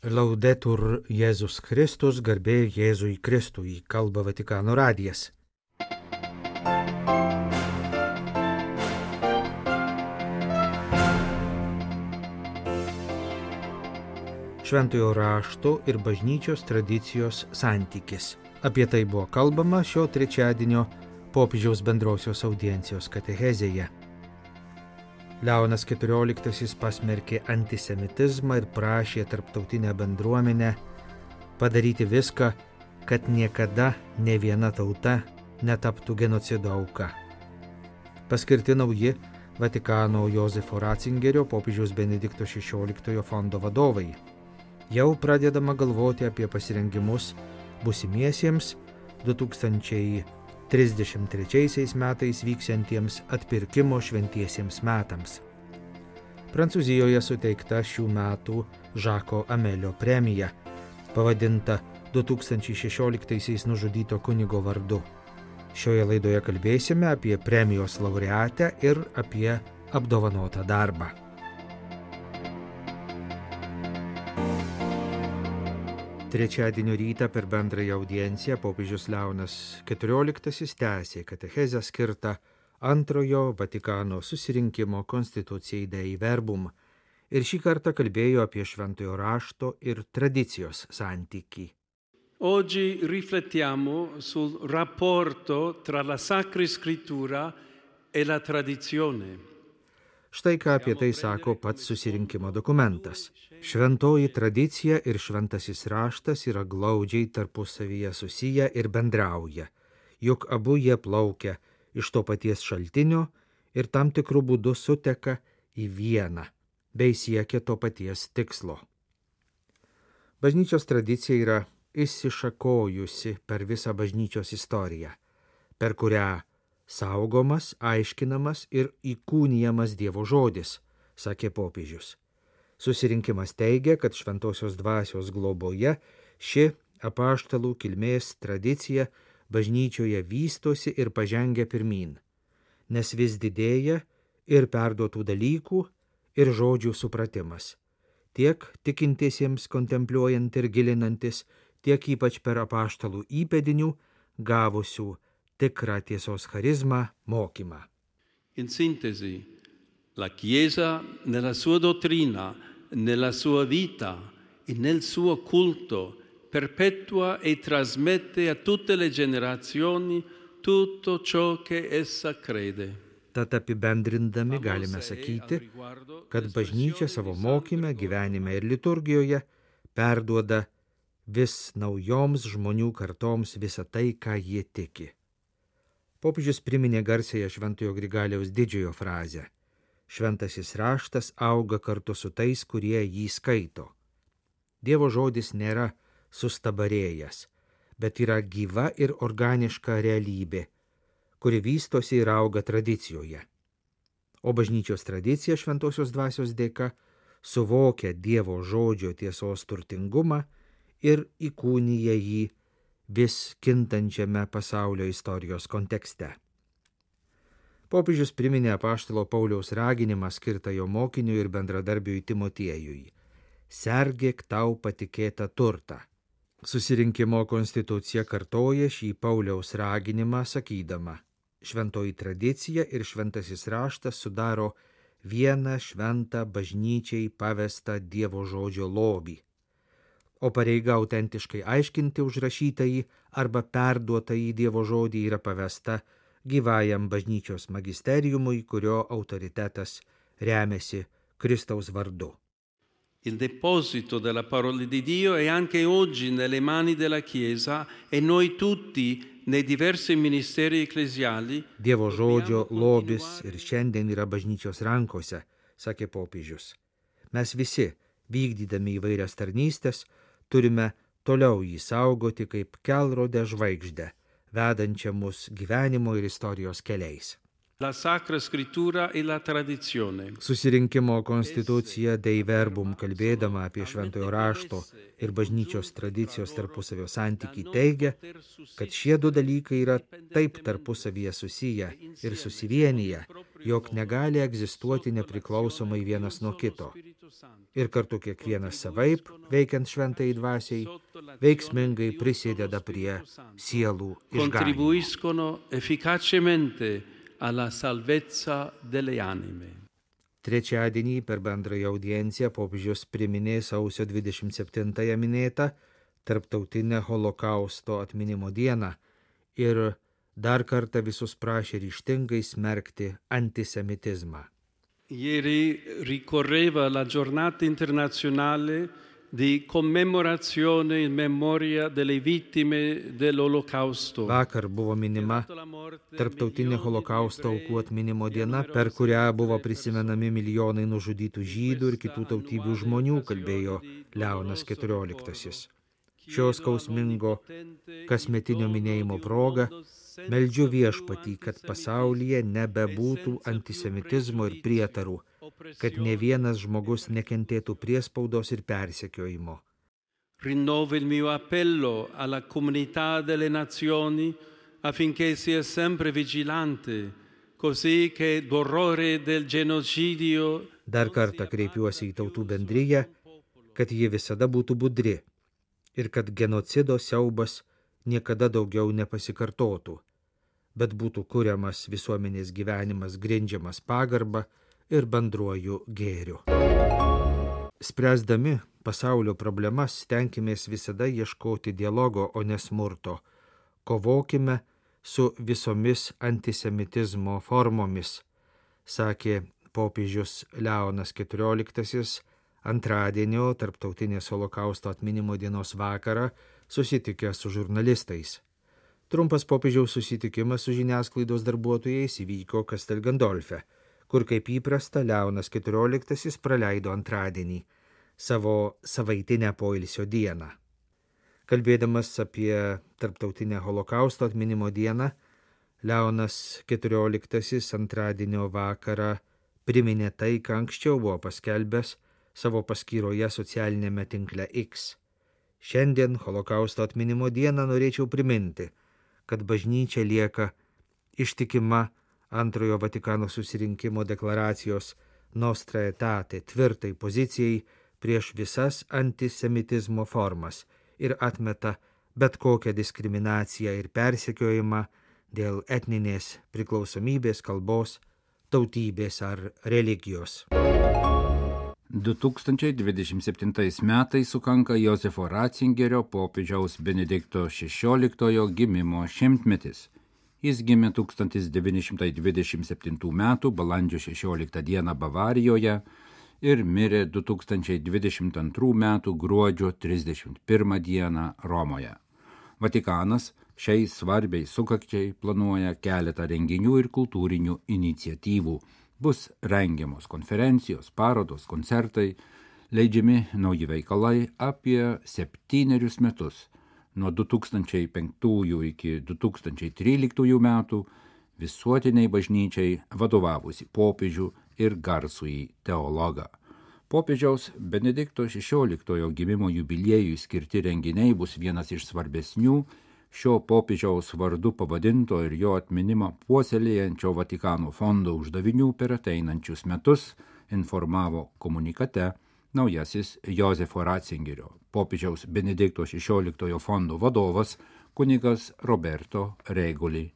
Laudetur Jėzus Kristus, garbė Jėzui Kristui, kalba Vatikano radijas. Šventojo rašto ir bažnyčios tradicijos santykis. Apie tai buvo kalbama šio trečiadienio popiežiaus bendrosios audiencijos katechezėje. Leonas XIV pasmerkė antisemitizmą ir prašė tarptautinę bendruomenę padaryti viską, kad niekada ne viena tauta netaptų genocido auka. Paskirti nauji Vatikano Jozefo Ratzingerio popiežiaus Benedikto XVI fondo vadovai. Jau pradedama galvoti apie pasirengimus busimiesiems 2033 metais vyksiantiems atpirkimo šventiesiems metams. Prancūzijoje suteikta šių metų Žako Amelio premija, pavadinta 2016 nužudyto kunigo vardu. Šioje laidoje kalbėsime apie premijos laureatę ir apie apdovanotą darbą. Trečiadienio rytą per bendrąją audienciją popiežius Leonas XIV tęsė katechezę skirtą antrojo Vatikano susirinkimo Constitutiae Dei Verbum ir šį kartą kalbėjo apie šventojo rašto ir tradicijos santykį. Oggi riflettiamo sul rapporto tra la Sacra Scrittura e la tradizione. Štai ką apie tai sako pats susirinkimo dokumentas. Šventoji tradicija ir šventasis raštas yra glaudžiai tarpusavyje susiję ir bendrauja, juk abu jie plaukia iš to paties šaltinio ir tam tikrų būdų suteka į vieną, bei siekia to paties tikslo. Bažnyčios tradicija yra išsišakojusi per visą bažnyčios istoriją, per kurią saugomas, aiškinamas ir įkūnijamas Dievo žodis, sakė popiežius. Susirinkimas teigia, kad šventosios dvasios globoje ši apaštalų kilmės tradicija bažnyčioje vystosi ir pažengia pirmyn, nes vis didėja ir perduotų dalykų ir žodžių supratimas, tiek tikintiesiems kontempliuojant ir gilinantis, tiek ypač per apaštalų įpėdinių gavusių tikrą tiesos charizmą mokymą. In sintesi, la Chiesa nella sua dottrina, nella sua vita e nel suo culto perpetua e trasmette a tutte le generazioni tutto ciò che essa crede. Tad apibendrindami galime sakyti, kad bažnyčia savo mokyme, gyvenime ir liturgijoje perduoda vis naujoms žmonių kartoms visą tai, ką jie tiki. Popiežius priminė garsiąją Šventojo Grigaliaus Didžiojo frazę: šventasis raštas auga kartu su tais, kurie jį skaito. Dievo žodis nėra sustabarėjęs, bet yra gyva ir organiška realybė, kuri vystosi ir auga tradicijoje. O bažnyčios tradicija šventosios dvasios dėka suvokia Dievo žodžio tiesos turtingumą ir įkūnija jį vis kintančiame pasaulio istorijos kontekste. Popiežius priminė apaštalo Pauliaus raginimą skirtą jo mokiniui ir bendradarbiui Timotiejui: sergėk tau patikėtą turtą. Susirinkimo konstitucija kartoja šį Pauliaus raginimą sakydama: šventoji tradicija ir šventasis raštas sudaro vieną šventą bažnyčiai pavestą Dievo žodžio lobį, o pareiga autentiškai aiškinti užrašytąjį arba perduotąjį Dievo žodį yra pavesta gyvajam bažnyčios magisteriumui, kurio autoritetas remiasi Kristaus vardu. Il deposito della parola di Dio è anche oggi nelle mani della Chiesa e noi tutti nei diversi ministeri ecclesiali. Dievo žodžio lobis ir šiandien yra bažnyčios rankose, sakė popiežius. Mes visi, vykdydami įvairias tarnystės, turime toliau jį saugoti kaip kelrodę žvaigždę, vedančią mus gyvenimo ir istorijos keliais. La Sacra Scrittura e la tradizione. Susirinkimo konstitucija Dei Verbum, kalbėdama apie šventojo rašto ir bažnyčios tradicijos tarpusavio santykį, teigia, kad šie du dalykai yra taip tarpusavyje susiję ir susivienyje, jog negali egzistuoti nepriklausomai vienas nuo kito. ir kartu kiekvienas savaip, veikiant šventai dvasiai, veiksmingai prisideda prie sielų išganymo. Contribuiscono efficacemente alla salvezza delle anime. Trečiadienį per bendrąją audienciją popiežius priminė sausio 27-ąją minėtą Tarptautinę Holokausto atminimo dieną ir dar kartą visus prašė ryžtingai smerkti antisemitizmą. Ieri ricorreva la giornata internazionale di commemorazione in memoria delle vittime dell'Olocausto. Vakar buvo minima Tarptautinė Holokausto aukų atminimo diena, per kurią buvo prisimenami milijonai nužudytų žydų ir kitų tautybių žmonių, kalbėjo Leonas XIV. Šios skausmingo kasmetinio minėjimo proga meldžiu Viešpatį, kad pasaulyje nebebūtų antisemitizmo ir prietarų, kad ne vienas žmogus nekentėtų priespaudos ir persekiojimo. Rinnovo il mio appello alla comunità delle nazioni affinché sia sempre vigilante, così che l'orrore del genocidio. Dar kartą kreipiuosi į tautų bendriją, kad ji visada būtų budri ir kad genocido siaubas niekada daugiau nepasikartotų, bet būtų kuriamas visuomenės gyvenimas grindžiamas pagarba ir bendruoju gėriu. Spręsdami pasaulio problemas stenkimės visada ieškoti dialogo, o ne smurto. Kovokime su visomis antisemitizmo formomis, sakė popiežius Leonas XIV antradienio Tarptautinės Holokausto atminimo dienos vakarą susitikęs su žurnalistais. Trumpas popiežiaus susitikimas su žiniasklaidos darbuotojais įvyko Castel Gandolfe, kur kaip įprasta Leonas XIV praleido antradienį, savo savaitinę poilsio dieną. Kalbėdamas apie Tarptautinę Holokausto atminimo dieną, Leonas XIV antradienio vakarą priminė tai, ką anksčiau buvo paskelbęs savo paskyroje socialinėme tinkle X. Šiandien Holokausto atminimo dieną norėčiau priminti, kad bažnyčia lieka ištikima Antrojo Vatikano susirinkimo deklaracijos Nostra Aetate tvirtai pozicijai prieš visas antisemitizmo formas ir atmeta bet kokią diskriminaciją ir persekiojimą dėl etninės priklausomybės, kalbos, tautybės ar religijos. 2027 metais sukanka Jozefo Ratzingerio popiežiaus Benedikto XVI gimimo šimtmetis. Jis gimė 1927 m. balandžio 16 d. Bavarijoje ir mirė 2022 m. gruodžio 31 d. Romoje. Vatikanas šiai svarbiai sukakčiai planuoja keletą renginių ir kultūrinių iniciatyvų. Bus rengiamos konferencijos, parodos, koncertai, leidžiami nauji veikalai apie 7 metus, nuo 2005 iki 2013 metų visuotiniai bažnyčiai vadovavusi popiežių ir garsųjį teologą. Popiežiaus Benedikto XVI gimimo jubiliejui skirti renginiai bus vienas iš svarbesnių šio popiežiaus vardu pavadinto ir jo atminimą puoselėjančio Vatikano fondo uždavinių per ateinančius metus, informavo komunikate naujasis Jozefo Ratzingerio, popiežiaus Benedikto XVI fondo vadovas kunigas Roberto Regoli.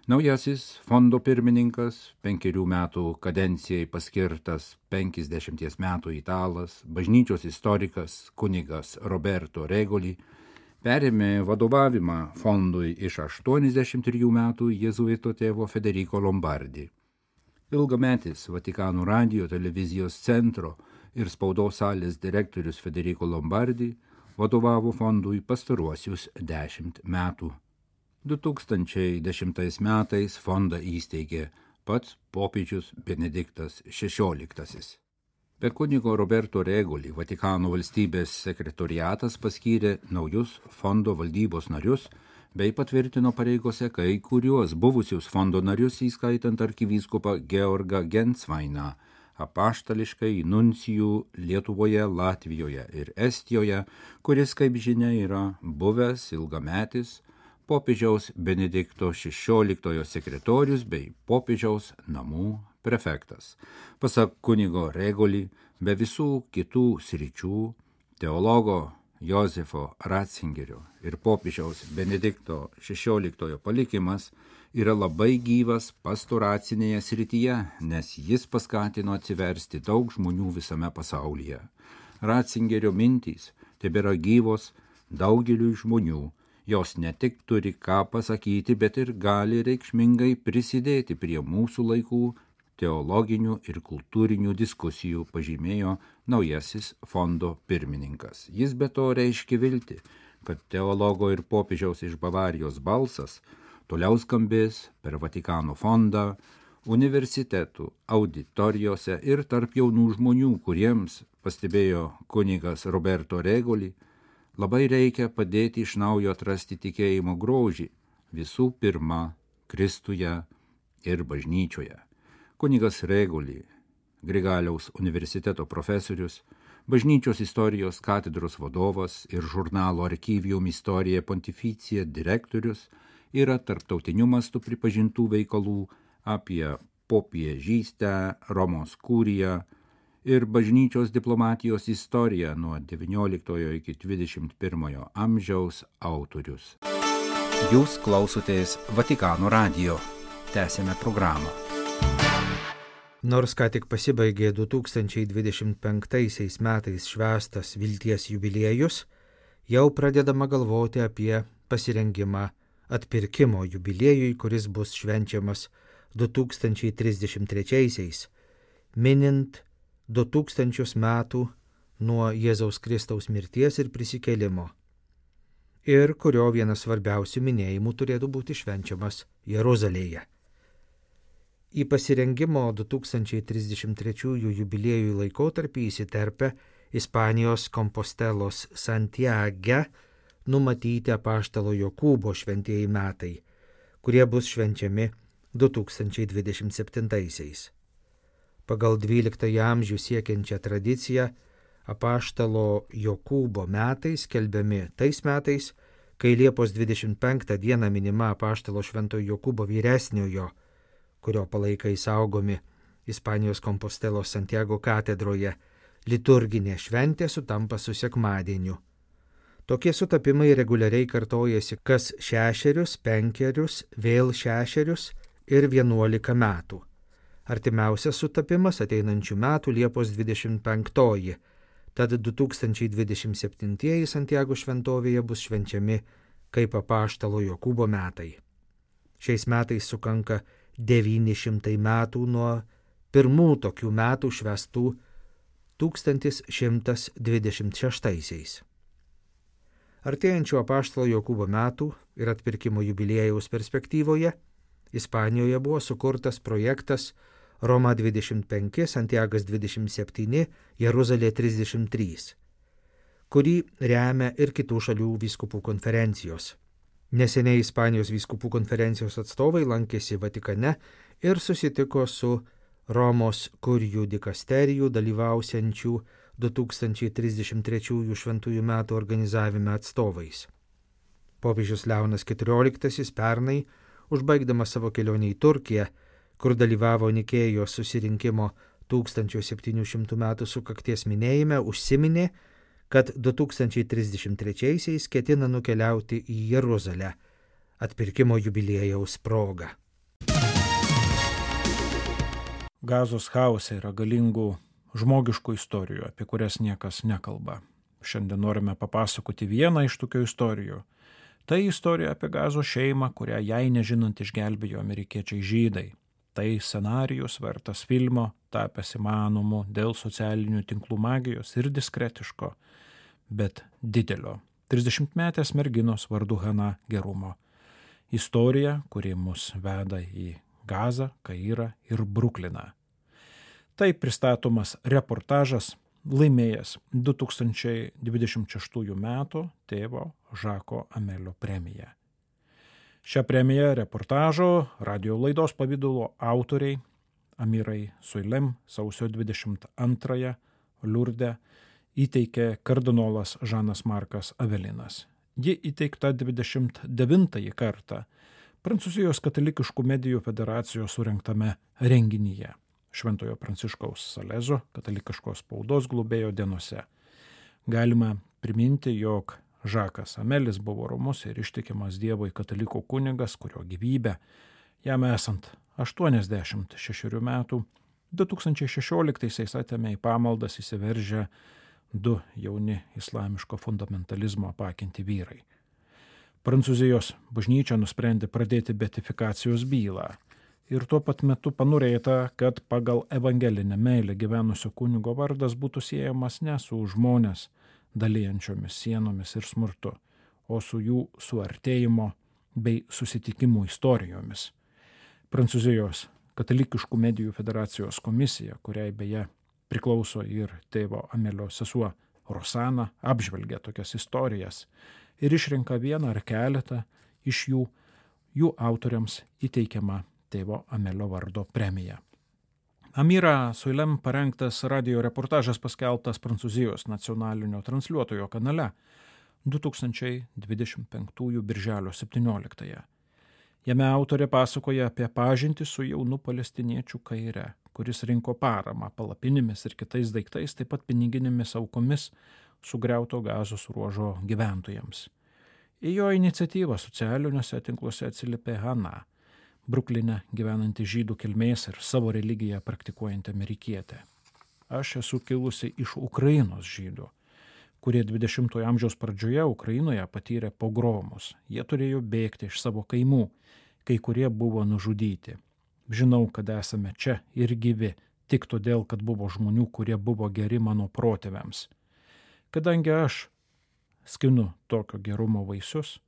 Naujasis fondo pirmininkas, 5 metų kadencijai paskirtas 50 metų italas, bažnyčios istorikas kunigas Roberto Regoli, perėmė vadovavimą fondui iš 83 metų jėzuito tėvo Federico Lombardi. Ilgametis Vatikano radijo televizijos centro ir spaudos salės direktorius Federico Lombardi vadovavo fondui pastaruosius 10 metų. 2010 metais fondą įsteigė pats popiežius Benediktas XVI. Be kunigo Roberto Regoli Vatikano valstybės sekretoriatas paskyrė naujus fondo valdybos narius bei patvirtino pareigose kai kuriuos buvusius fondo narius, įskaitant arkivyskupą Georgą Gensvainą, apaštališkai nuncijų Lietuvoje, Latvijoje ir Estijoje, kuris, kaip žinia, yra buvęs ilgametis popiežiaus Benedikto XVI sekretorius bei popiežiaus namų prefektas. Pasak kunigo Regolį, be visų kitų sričių teologo Jozefo Ratzingerio ir popiežiaus Benedikto XVI palikimas yra labai gyvas pastoracinėje srityje, nes jis paskatino atsiversti daug žmonių visame pasaulyje. Ratzingerio mintys tebėra gyvos daugeliui žmonių, jos ne tik turi ką pasakyti, bet ir gali reikšmingai prisidėti prie mūsų laikų teologinių ir kultūrinių diskusijų, pažymėjo naujasis fondo pirmininkas. Jis be to reiškia viltį, kad teologo ir popiežiaus iš Bavarijos balsas toliau skambės per Vatikano fondą, universitetų auditorijose ir tarp jaunų žmonių, kuriems, pastebėjo kunigas Roberto Regolį, labai reikia padėti iš naujo atrasti tikėjimo grožį, visų pirma, Kristuje ir bažnyčioje. Kunigas Regolį, Grigaliaus universiteto profesorius, bažnyčios istorijos katedros vadovas ir žurnalo Archivium Historia Pontificia direktorius, yra tarptautiniu mastu pripažintų veikalų apie popiežystę, Romos kūriją ir bažnyčios diplomatijos istoriją nuo XIX iki XXI amžiaus autorius. Jūs klausotės Vatikano radijo. Tęsėme programą. Nors ką tik pasibaigė 2025 metais švęstas vilties jubiliejus, jau pradedama galvoti apie pasirengimą atpirkimo jubiliejui, kuris bus švenčiamas 2033, minint 2000 metų nuo Jėzaus Kristaus mirties ir prisikėlimo, ir kurio vienas svarbiausių minėjimų turėtų būti švenčiamas Jeruzalėje. Į pasirengimo 2033 jubiliejų laikotarpį įsiterpia Ispanijos Kompostelos Santiage numatyti apaštalo Jokūbo šventieji metai, kurie bus švenčiami 2027. Pagal 12 amžių siekiančią tradiciją apaštalo Jokūbo metai skelbiami tais metais, kai Liepos 25 dieną minima apaštalo Šventojo Jokūbo vyresniojo, kurio palaikai saugomi Ispanijos Kompostelos Santiago katedroje, liturginė šventė sutampa su sekmadieniu. Tokie sutapimai reguliariai kartojasi kas 6, 5, vėl 6 ir 11 metų. Artimiausias sutapimas ateinančių metų Liepos 25, tad 2027 Santiago šventovėje bus švenčiami kaip apaštalo Jokūbo metai. Šiais metais sukanka 900 metų nuo pirmų tokių metų švęstų 1126. Artėjančio apaštalo Jokūbo metų ir atpirkimo jubiliejaus perspektyvoje Ispanijoje buvo sukurtas projektas Roma 25, Santiagas 27, Jeruzalė 33, kurį remia ir kitų šalių vyskupų konferencijos. Neseniai Ispanijos vyskupų konferencijos atstovai lankėsi Vatikane ir susitiko su Romos kurijų dikasterijų dalyvausiančių 2033 šventųjų metų organizavime atstovais. Popiežius Leonas XIV pernai, užbaigdamas savo kelionę į Turkiją, kur dalyvavo Nikėjos susirinkimo 1700 metų sukakties minėjime, užsiminė, kad 2033 ketina nukeliauti į Jeruzalę atpirkimo jubiliejaus proga. Gazos chaose yra galingų žmogiškų istorijų, apie kurias niekas nekalba. Šiandien norime papasakoti vieną iš tokių istorijų. Tai istorija apie Gazos šeimą, kurią jai nežinant išgelbėjo amerikiečiai žydai. Tai scenarijus vertas filmo, tapęs įmanomu dėl socialinių tinklų magijos ir diskretiško, bet didelio 30-metės merginos vardu Hana gerumo. Istorija, kuri mus veda į Gazą, Kairą ir Brukliną. Tai pristatomas reportažas, laimėjęs 2026 metų tėvo Žako Amelio premiją. Šią premiją reportažo radio laidos pavidalo autoriai Amirai Suilem sausio 22 Liurde įteikė kardinolas Žanas Markas Avelinas. Ji įteikta 29 kartą Prancūzijos katalikiškų medijų federacijos surengtame renginyje. Šventojo Pranciškaus Salezo katalikiškos spaudos globėjo dienose. Galima priminti, jog Žakas Amelis buvo romus ir ištikimas Dievui katalikų kunigas, kurio gyvybę, jam esant 86 metų, 2016 atėmė į pamaldas įsiveržę 2 jauni islamiško fundamentalizmo apakinti vyrai. Prancūzijos bažnyčia nusprendė pradėti beatifikacijos bylą ir tuo pat metu panorėta, kad pagal evangelinę meilę gyvenusio kunigo vardas būtų siejamas ne su žmonės dalyjančiomis sienomis ir smurtu, o su jų suartėjimo bei susitikimų istorijomis. Prancūzijos katalikiškų medijų federacijos komisija, kuriai beje priklauso ir tėvo Amelio sesuo Rosana, apžvelgia tokias istorijas ir išrenka vieną ar keletą iš jų autoriams įteikiama tėvo Amelio vardo premija. Amira Soilem parengtas radio reportažas paskelbtas Prancūzijos nacionalinio transliuotojo kanale 2025 birželio 17. Jame autorė pasakoja apie pažintį su jaunu palestiniečių kaire, kuris rinko paramą palapinėmis ir kitais daiktais, taip pat piniginėmis aukomis sugriauto Gazos ruožo gyventojams. Į jo iniciatyvą socialiniuose tinkluose atsiliepė Hana, Brukline gyvenanti žydų kilmės ir savo religiją praktikuojanti amerikietė. Aš esu kilusi iš Ukrainos žydų, kurie 20-ojo amžiaus pradžioje Ukrainoje patyrė pogromus. Jie turėjo bėgti iš savo kaimų, kai kurie buvo nužudyti. Žinau, kad esame čia ir gyvi, tik todėl, kad buvo žmonių, kurie buvo geri mano protėviams. Kadangi aš skinu tokio gerumo vaisius,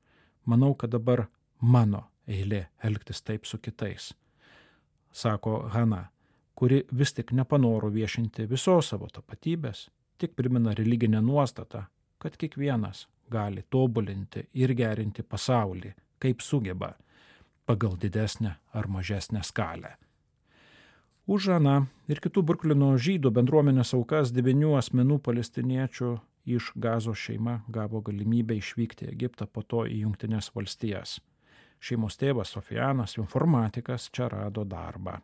manau, kad dabar mano eilė elgtis taip su kitais, sako Hana, kuri vis tik nepanoro viešinti visos savo tapatybės, tik primena religinę nuostatą, kad kiekvienas gali tobulinti ir gerinti pasaulį, kaip sugeba, pagal didesnę ar mažesnę skalę. Už Hana ir kitų Bruklino žydų bendruomenės aukas 9 asmenų palestiniečių iš Gazos šeima gavo galimybę išvykti į Egiptą, po to į Jungtines valstijas. Šeimos tėvas Sofianas, informatikas, čia rado darbą.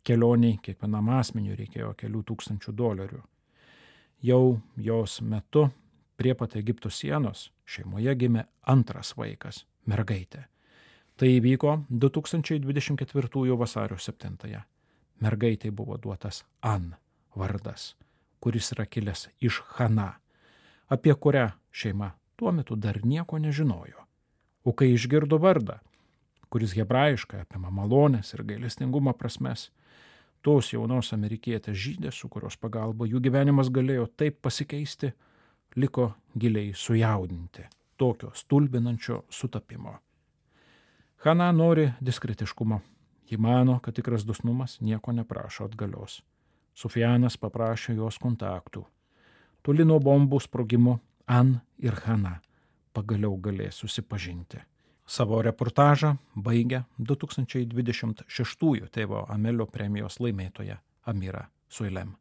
Kelioniai kiekvienam asmeniui reikėjo kelių tūkstančių $. Jau jos metu prie pat Egipto sienos šeimoje gimė antras vaikas, mergaitė. Tai įvyko 2024 vasario 7. Mergaitei buvo duotas An vardas, kuris yra kilęs iš Hana, apie kurią šeima tuo metu dar nieko nežinojo. O kai išgirdo vardą, kuris hebrajiškai apima malonės ir gailestingumo prasmes, tos jaunos amerikietės žydės, su kurios pagalba jų gyvenimas galėjo taip pasikeisti, liko giliai sujaudinti tokio stulbinančio sutapimo. Hana nori diskretiškumo. Ji mano, kad tikras dosnumas nieko neprašo atgalios. Sofianas paprašė jos kontaktų. Toli nuo bombų sprogimo An ir Hana pagaliau galės susipažinti. Savo reportažą baigia 2026 tėvo Amelio premijos laimėtoja Amira Soilem.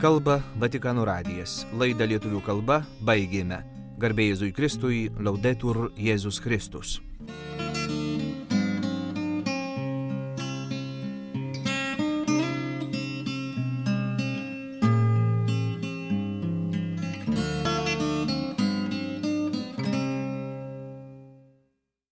Kalba Vatikano radijas. Laidą lietuvių kalba baigėme. Garbė Jėzui Kristui, Laudetur Jėzus Kristus.